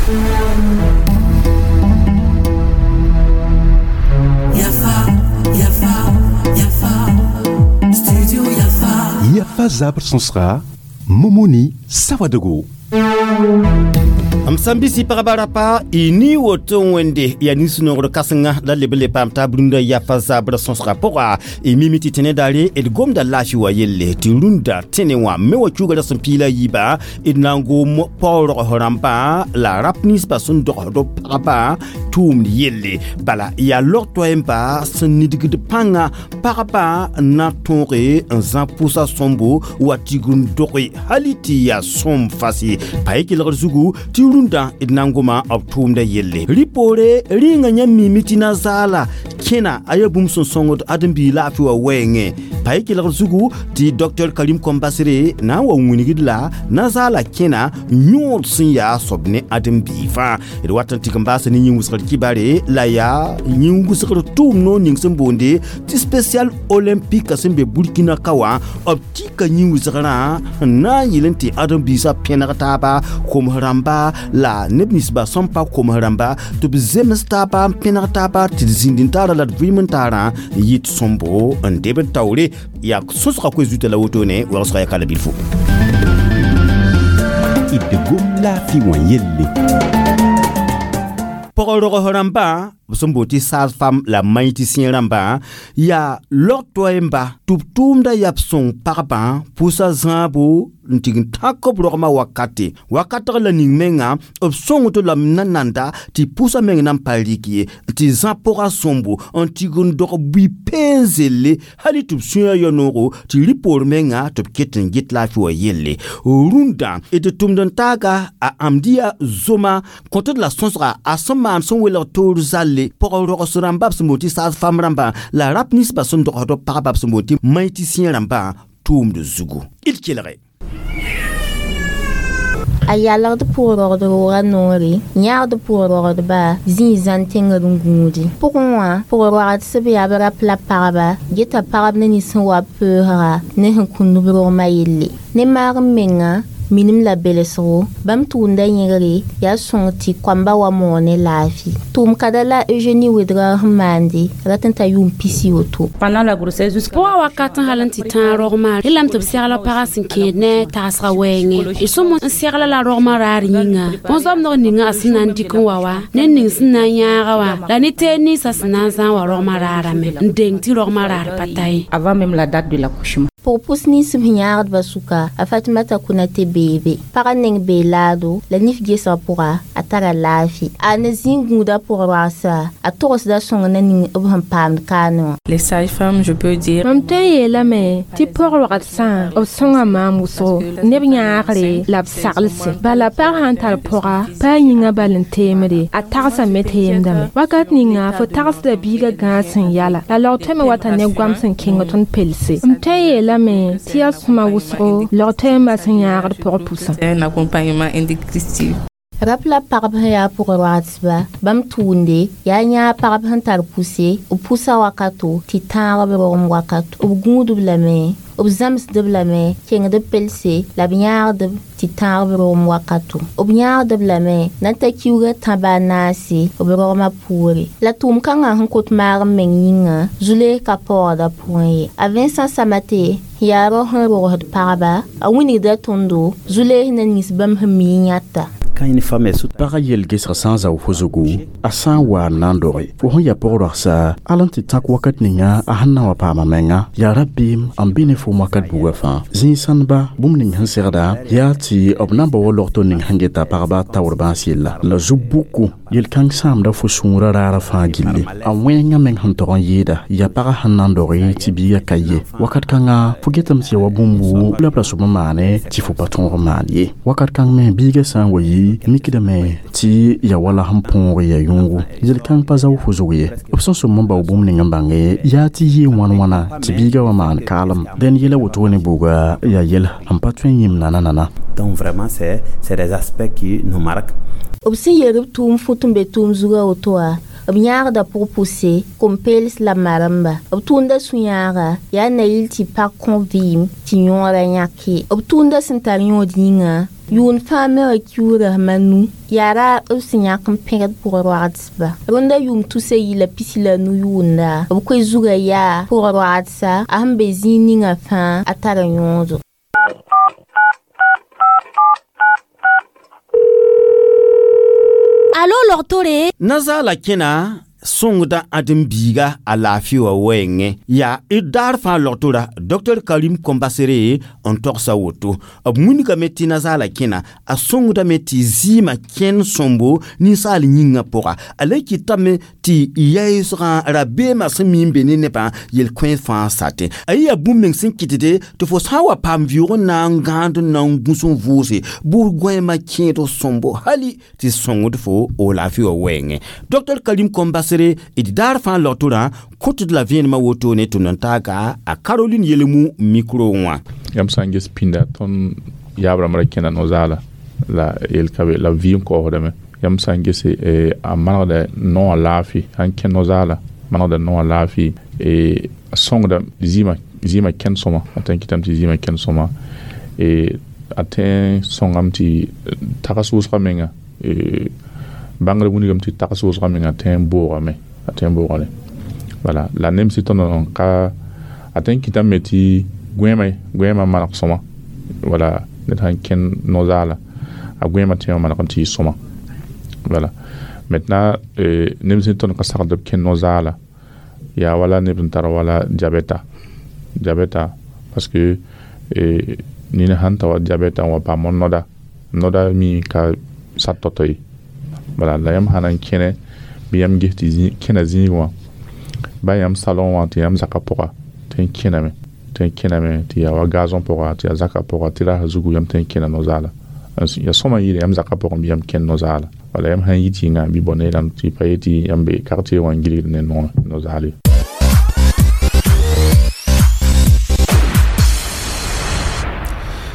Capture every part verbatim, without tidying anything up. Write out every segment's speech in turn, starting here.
Yafa, Yafa, Yafa, Studio Yafa. Yafa zabr sõsga Momoni Sawadogo. M sẽn bɩ pagba rapa y ni woto wẽnde yaa nin-sũ-noogr kãsenga la leb n le paam taab rũndã yafa zabrã sõsga pʋga. Y mimi tɩ tẽne daare d gomda laafɩ wa yelle tɩ rũndã tẽne wã me wa kiugrã sẽn piila yiiba d na n gom paoog rãmbã la rap ninsbã sẽn dogsd b pagba tʋʋmd yelle. Bala yaa log toɛɛmba sẽn nidgd pãnga pagba n na tõoge n zã pʋsa sõmbo wa tigr n doge hali tɩ yaa sõm fase pa y kelgr zugu tɩ rũndã d na n goma b tʋʋmdã yelle. Rɩ poore rɩɩngã yãmb miime tɩ na zaala kẽna a yaa bũmb sẽn sõngd ãdem-biig laafɩ wa wɛɛngẽ pa y kelgr zugu tɩ Docteur Karim Kombasre na n wa wingd la na zaala kẽna yõod sẽn yaa soab ne ãdem-biig fãa. D wat n tɩk n baasa ne yĩn-wʋsgr kibare la yaa yĩn-wʋsgr tʋʋm noor ning sẽn boonde tɩ Spécial Olympique sẽn be Burkina ka wã b tika yĩn-wʋsgrã n na n yɩl n tɩ ãdem-biisã pẽneg taaba koms rãmba la neb ninsba sẽn pa koms rãmba tɩ b zems taaba n pẽneg taaba tɩ d zĩnd n taara la d vɩɩm n taarã yɩt sõmbo n debd taoore. Yaa sõsga koe zuta la wotone wagsga yaa kala bilfo. D gom laafɩ wã yelle. Pɔg-rogs rãmbã b sẽn boond tɩ sage-femme la maïticien rãmbã yaa log toɛɛmba tɩ b tʋʋmda yaa b sõng pagbã pʋsa zãabo n tɩg n tãk b rogmã wakate wakatg la ning menga b sõngd lame na nanda tɩ pʋsã meng na n pa rɩk ye tɩ zã pʋga sõmbo n tɩg n dog bui peen zelle hali tɩ b sũyã ya noogo tɩ rɩ poor menga tɩ b ket n get laafɩ wa yelle. Rũndã d tʋmd n taaga a ãmdiya zoma kõtd la sõsga a sẽn maan sẽn welg toor zalle pɔg-rogs rãmba b sẽn boond tɩ sage-femme rãmbã la rap ninsbã sẽn dogsd b pagba b sẽn boond tɩ maïticien rãmbã tʋʋmd zugu. D kelge. A yalgd pʋg-rogd roogã noore yãagd pʋg-rogdba zĩig zãn tẽngr n gũudi pʋgẽ wã pʋg-roagsb yaa b rap la pagba geta pagb ne nins sẽn wa b peoosga ne sẽn kũnd b rogmã yelle ne maag n menga minim la belsgo bãmb tʋʋmda yẽgre yaa sõng tɩ koamba wa moog ne laafɩ. Tʋʋm kada la Eugénie Wedra sẽn maande rat n ta yʋʋm pisi woto. Pendant la grossesse jusqu'à Pʋgã wakat n hal n tɩ tãag rogmã relame tɩ b segl pagã sẽn kẽed ne tagsga wɛɛngẽ y sõm n segla la rogmã raar yĩnga bõn-zomdg ninga a sẽn na n dɩk n wa wa ned ning sẽn na n yãaga wã la ne teed ninsã sẽn na n zãag wa rogmã raarame n deng tɩ rogmã raar pa ta ye. Avant même la date de l'accouchement. Pʋg-pʋs nins b yãagdbã sʋka a Fatimata Konate beebe pagã neng bee laado la nif gesg pʋga a tara laafɩ a ne zĩig gũuda pʋg-roagsa a togsda sõng na ning b sẽn paamd kaane wã. Les sages-femmes, je peux dire, Mam tõe n yeelame tɩ pɔg-rogd sã b sõnga maam wʋsgo neb yãagre la b saglse bala pag sã n tar pʋga pa a yĩngã bal n teemde a tagsame teemdame wakat ninga fo tagsda biigã gãag sẽn yala la log tõeme wata ne goam sẽn kẽng tõnd pelse. M tõe n yeelame tɩ yaa sõma wʋsgo log toɛɛmbã sẽn yãagd pʋgã pʋsã. C'est un accompagnement indigestif. Rap la pagb sẽn yaa pʋg-roagsba bãmb tʋʋmde yaa yãag pagb sẽn tar pʋse b pʋsa wakato tɩ tãag b rogem wakato b gũudb lame b zãmsdb lame kẽngd b pelse la b yãagdb tɩ tãag b rogem wakato b yãagdb lame na n ta kiuugã tãba a naase b rogmã poore la tʋʋm kãngã sẽn kot maag n meng yĩnga zu-lees ka paoogda pʋgẽ ye. A Vincent Samate yaa rao sẽn rogsd pagba a wilgda tõndo zu-lees na nins bãmb sẽn mi n yãta. Quand une femme est sous Pagã yel-gesg sã n zao fo zugu a sã n wa n na n doge fo sẽn yaa pʋg-roagsa al n tɩ tãk wakat ninga a sẽn na wa paama menga yaa rabeem n be ne foom wakat buga fãa. Zĩig sãndba bũmb ning sẽn segda yaa tɩ b na n bao wa logto ning sẽn geta pagba taoor bãas yella la zu-buku yel-kãng sãamda fo sũurã raarã fãa gilli a wẽngã meng sẽn tog n yɩɩda yaa pagã sẽn na n doge tɩ biigã ka ye wakat kãnga fo getame tɩ ya wa bũmb wuu la b ra sob n maane tɩ fo pa tõog n maan ye wakat kãng me biigã sã n wa yi mikdame tɩ ya wala sẽn põog ya yõogo yel-kãng pa zao fo zug ye b sẽn sõm n bao bũmb ning n bãnge yaa tɩ yɩ wãn wãna tɩ biigã wa maan kaalem dẽn yɛla woto ne buuga yaa yɛl sẽn pa tõe n yĩm nana nana. Donc vraiment, c'est c'est des aspects qui nous marquent. B sẽn yeel b tʋʋm fut n be tʋʋm zugã woto wã b yãagda pʋg-pʋse kom-peels la maremba b tʋʋmda sũ-yãaga yaa na yɩl tɩ pag kõ vɩɩm tɩ yõorã yãke b tʋʋmda sẽn tar yõod yĩnga. Yʋʋn fãa me wa kiuura manu yaa ra b sẽn yãk n pẽgd pʋg-roagsba rõnda yʋʋm tusa yi la pisi la nu yʋʋnda b koe zugã yaa pʋg-roagsa a sẽn be zĩig ninga fãa a tara yõodo. Alo logtore nazaala kẽna sõngda ãdem-biiga a laafɩ wã wɛɛngẽ yaa d daar fãa logtora Docteur Karim Kombasere n togsa woto b wilgame tɩ nazaala kẽna a sõngdame tɩ zɩɩmã kẽnd sõmbo ninsaal yĩngã pʋga a le kɩtame tɩ yaoosgã rabeemã sẽn mi n be ne nebã yel-kõe fãa satẽ a yɩ yaa bũmb meng sẽn kɩtde tɩ fo sã n wa paam vɩʋʋg n na n gãand n na n gũs n vʋʋse bʋ gõeemã kẽed sõmbo hali tɩ sõngd fo o laafɩ wã wɛɛngẽ Docteur Karim Kombasere d daar fãa logtorã kõtd la vẽenemã wotone tɩ n taaga a Caroline Yelemu micro wã yãmb sã n ges pĩnda tõnd yaab rãmb ra kẽna no-zaala la yel ka be la vɩɩm kaoosdame yãmb sã n gese a manegda noowã laafɩ sãn kẽ no-zaala manegda noowã laafɩ a sõngda zɩɩmã zɩɩmã kẽnd sõma a tõe n kɩtame tɩ zɩɩmã kẽnd sõma a tõe n sõngame tɩ tags wʋsgã menga bãngr wilgame tɩ tags wʋsgã menga tõe n boogame a tõe n boogame voilà la nem sɩ tõnd n ka a tõe n kɩtame tɩ gõeemã gõeemã maneg sõma voilà ned sãn kẽnd no-zaala a gõeemã tõe n maneg n tɩ yɩ sõma voilà maintenant neb sẽn tõnd ka sagd b kẽnd no-zaala yaa wala neb n tar wala diabɛta diabɛta parce que nina sãn ta wa diabɛta n wa paam noda noda mi ka sat tao-tao ye voilà la yãmb sã na n kẽne bɩ yãmb ges tɩ kẽna zĩig wã ba yãmb salon wã tɩ yãmb zakã pʋga tɩ n kẽname tɩ n kẽname tɩ yaa wa gazon pʋga tɩ yaa zakã pʋga tɩ rasã zugu yãmb tɩ n kẽna no-zaala ya sõma yɩɩda yãmb zakã pʋgẽ bɩ yãmb kẽnd no-zaala wala yãmb sãn yit yĩnga bɩ bõ neerãmb tɩ pa yetɩ yãmb be quartier wã n gilgd ne no-zaal ye.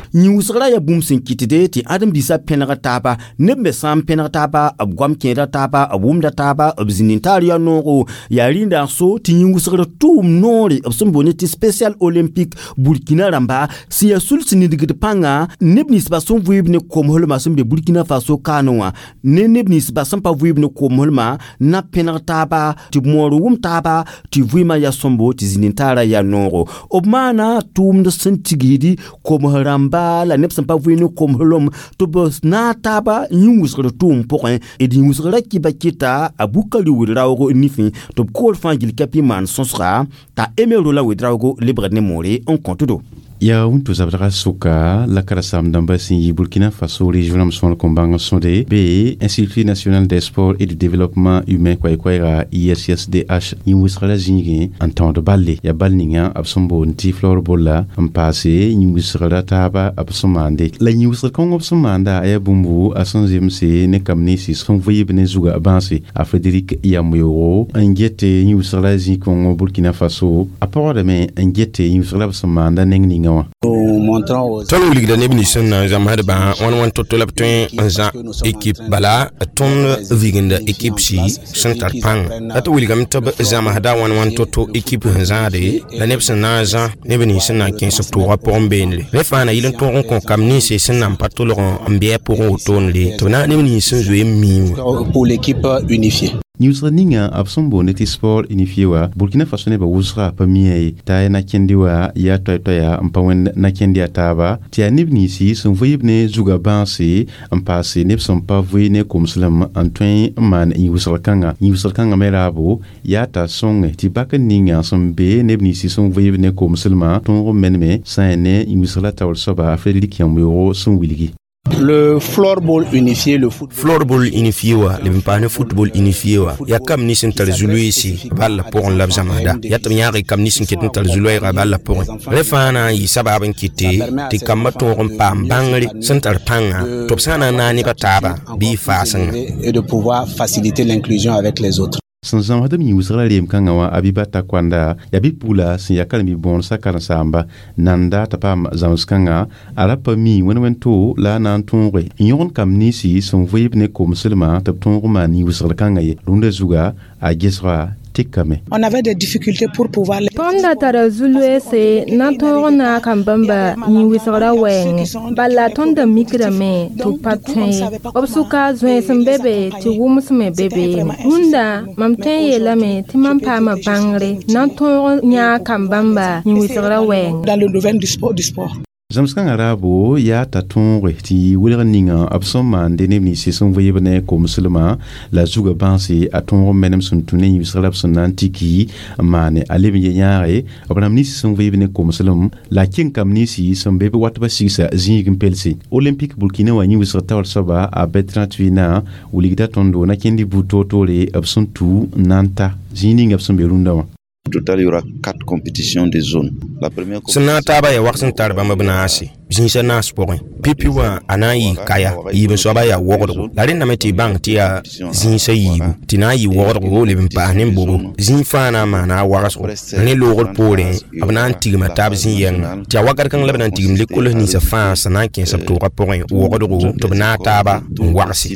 Yĩwsgrã yaa bũmb sẽn kɩtde tɩ ãdem-biisã pẽneg taaba neb me sã n pẽneg taaba b goam kẽeda taaba b wʋmda taaba b zĩnd n taar yaa noogo yaa rĩnda n so tɩ yĩwsgr tʋʋm noore b sẽn boond tɩ spécial olympique Burkina rãmba sẽn yaa sul sẽn nidgd pãnga neb ninsbã sẽn vɩɩb ne komslmã sẽn be Burkina Faso kaane wã ne neb ninsbã sẽn pa vɩɩb ne komslmã na pẽneg taaba tɩ b moor wʋm taaba tɩ vɩɩmã yaa sõmbo tɩ zĩnd n taarã yaa noogo b maana tʋʋmd sẽn tigsd koms rãmba la neb sẽn pa vɩ ne komslem tɩ b naag taaba yĩwsgr tʋʋm pʋgẽ d yĩwsgrã kɩba kɩta a Bukari wed-raoogo nifẽ tɩ b koor fãa gil kapi maan sõsga t'a Aimé Roland wed-raoogo lebgd ne moore n kõtdo. Yaa wũnto zabdga sʋka la karen-saam-dãmbã sẽn yi Burkina Faso région sõor kom-bãng sõde be Institut national des sports et du développement humain koɛɛ-koɛɛga I S S D H yĩn-wʋsg la zĩigẽ n tõod balle yaa bal ninga b sẽn boond tɩ floorball la n paase yĩn-wʋsgra taaba b sẽn maande la yĩn-wʋsgr kõng b sẽn maanda a yaa bũmbu a sẽn zemse ne kam ninsi sẽn vɩɩb ne zugã bãase a Frédéric Yamoyoro n get yĩn-wʋsg la zĩ kõng Burkina Faso a pɔgdame n get yĩn-wʋsg la b sẽn maanda neng ninga. Tõnd wilgda neb nins sẽn na n zãmsdbã wãn wãn to-to la b tõe n zã ekip bala tõnd viginda ekip si sẽn tar pãnga la tɩ wilgame tɩ b zãmsda wãn wãn to-to ekip sẽn zãade la neb sẽn na n zã neb nins sẽn na n kẽes b tʋʋgã pʋgẽ beene rẽ fãa na yɩl n tõog n kõ kam ninse sẽn na n pa tʋlg n bɩ a pʋgẽ wotone tɩ b na neb nins sẽn zoe n miẽ wã. Yĩwsg ninga b sẽn boond tɩ sport unifié wã Burkina Faso nebã wʋsga pa miã ye t'a ya na-kẽndi wã yaa toay-toaya n pa wẽnd na-kẽnd yaa taaba tɩ yaa neb ninsi sẽn vɩɩb ne zugã bãase n paase neb sẽn pa vɩ ne komslem n tõe n maan yĩwsg kãnga yĩwsg kãngã me raabo yaa t'a sõnge tɩ bak n ninga sẽn be neb ninsi sẽn vɩɩb ne komslmã tõog n meneme sã n ne yĩwsg la taoor soaba Frédéric Yamoyoro sẽn wilgi. Le floorball unifié, le football. Floorball unifié wa, le pa ne football unifié wa. Ya kam ni sin tar zuluisi balla pʋgẽ la b zãmsda. Ya tɩ b yãag kam ni sẽn ket n tar zulu-wɛɛga balla pʋgẽ. Rẽ fãa na n yɩ sabab n kɩte tɩ kambã tõog n paam bãngre sẽn tar pãnga tɩ b sã n na n naag nebã taaba bɩ y faasengã. Et de pouvoir faciliter l'inclusion avec les autres. Sẽn zãmsd m yĩwsgrã reem kãngã wã Abibata Kɔanda yaa bi-pugla sẽn yaa karen-bi-bõonesã karen-saamba nanda t'a paam zãms-kãngã a ra pa mi wẽn wẽn-to la a na n tõoge n yõgen kamb ninsi sẽn vɩɩb ne komslmã tɩ b tõog n maan yĩwsgr kãngã ye rũndã zuga a gesga tekame. On avait des difficultés pour pouvoir les Tõnd da tara zu-loeese na n tõog n naag n bãmba yĩn-wɩsgrã wɛɛngẽ bala tõnd da mikdame tɩ b pa tõe ye b sʋka zoeens n be be tɩ wʋms me be beene rũndã mam tõe n yeelame tɩ mam paama bãngre na n tõog n yãag kam-bãmba yĩn-wɩsgrã wɛɛngẽ. Dans le domaine du sport, du sport. Zãmsg-kãngã raabo yaa t'a tõoge tɩ welg ninga b sẽn maande neb nins sẽn vɩɩb ne komslmã la zugã bãnse a tõog n menem sẽn tũ ne yĩbsg la b sẽn na n tiki n maane a leb n ye yãage b rãmb nins sẽn vɩɩb ne komslem la kẽng kamb ninsi sẽn be b wat ba sigsa zĩig n pelse Olympique Burkina wã yĩwsg taoor soaba a Bertrand Tuina wilgda tõndo na kẽnd buud toor-toore b sẽn tu n na n ta zĩig ninga b sẽn be rũndã wã. Au total, il y aura quatre compétitions de zone. La première sẽn na n taaba yaa wag sẽn tar bãmb b naase zĩisã naas pʋgẽ pipi wã a na n yɩ kaya yiib n soaba yaa wogdgo la rẽndame tɩ y bãng tɩ yaa zĩisã yiibu tɩ na n yɩ wogdgo leb n paas ne bobo zĩig fãa na n maana a wagsgo rẽ loogr poorẽ b na n tigma taab zĩ-yɛngã tɩ yaa wakat kãng la b na n tigim lekols ninsã fãa sẽn na n kẽes b toogã pʋgẽ wogdgo tɩ b naag taaba n wagse.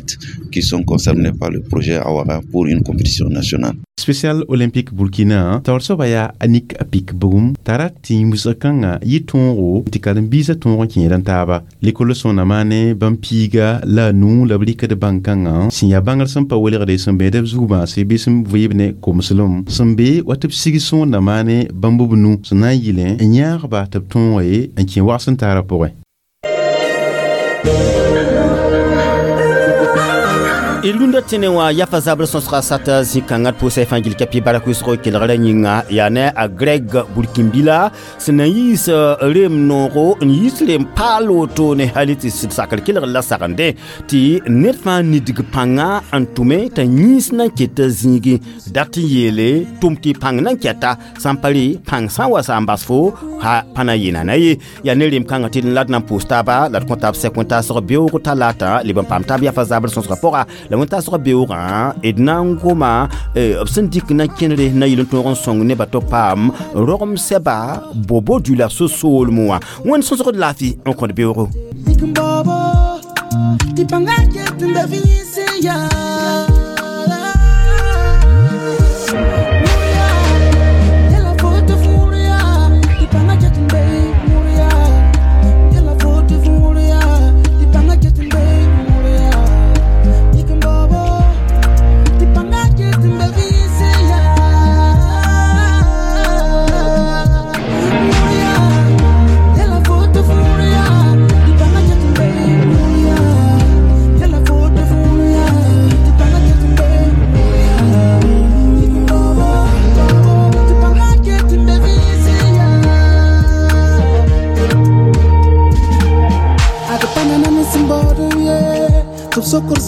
Qui sont concernés par le projet Awara pour une compétition nationale. Spécial Olympique Burkina taoor soaba yaa Anik Pik bugum t'a rat tɩ yĩn-wɩsg kãngã yɩ tõogo tɩ karen-biisã tõog n kẽed n taaba lekol sõna maane bãmb piiga la a nuu la b rɩkd bãn-kãngã sẽn yaa bãngr sẽn pa welgde sẽn beed b zug-bãase bɩ sẽn vɩɩb ne komslem sẽn be wa tɩ b sig sõorda maane bãmb b nu sẽn na n yɩlẽ n yãagba tɩ b tõoge n kẽ wags n taarã pʋgẽ. Rũndã tẽne wã yafa zabr sõsga sata zĩ-kãngã d pʋʋsa fãa gil kapi bark wɩsgo kelgrã yĩnga yaa ne a Greg Burkimbila sẽn na yiis reem noogo n yiis reem paal woto ne hali tɩ sɩd sakr kelgr la sagende tɩ ned fãa nidg pãnga n tʋme t'a yĩns na n keta zĩigẽ dat n yeele tʋm tɩ pãng na n kɛta sã n pa rɩ pãng sã n wa sa n bas fo ha pa na yɩ-nana ye yaa ne reem kãngã tɩ d la d na n pʋʋs taaba la d kõ taab sɛk wẽn-taasg beoog talaata leb n paam taab yafa zabr sõsgã pʋga la wẽn-taasg beoogã d na n goma b sẽn dɩk na kẽnere na yɩl n tõog n sõng nebã tɩ paam rogem sɛba bobo dula so-soolem wã wẽnd sõsgd laafɩ n kõt beoogo. Socorro,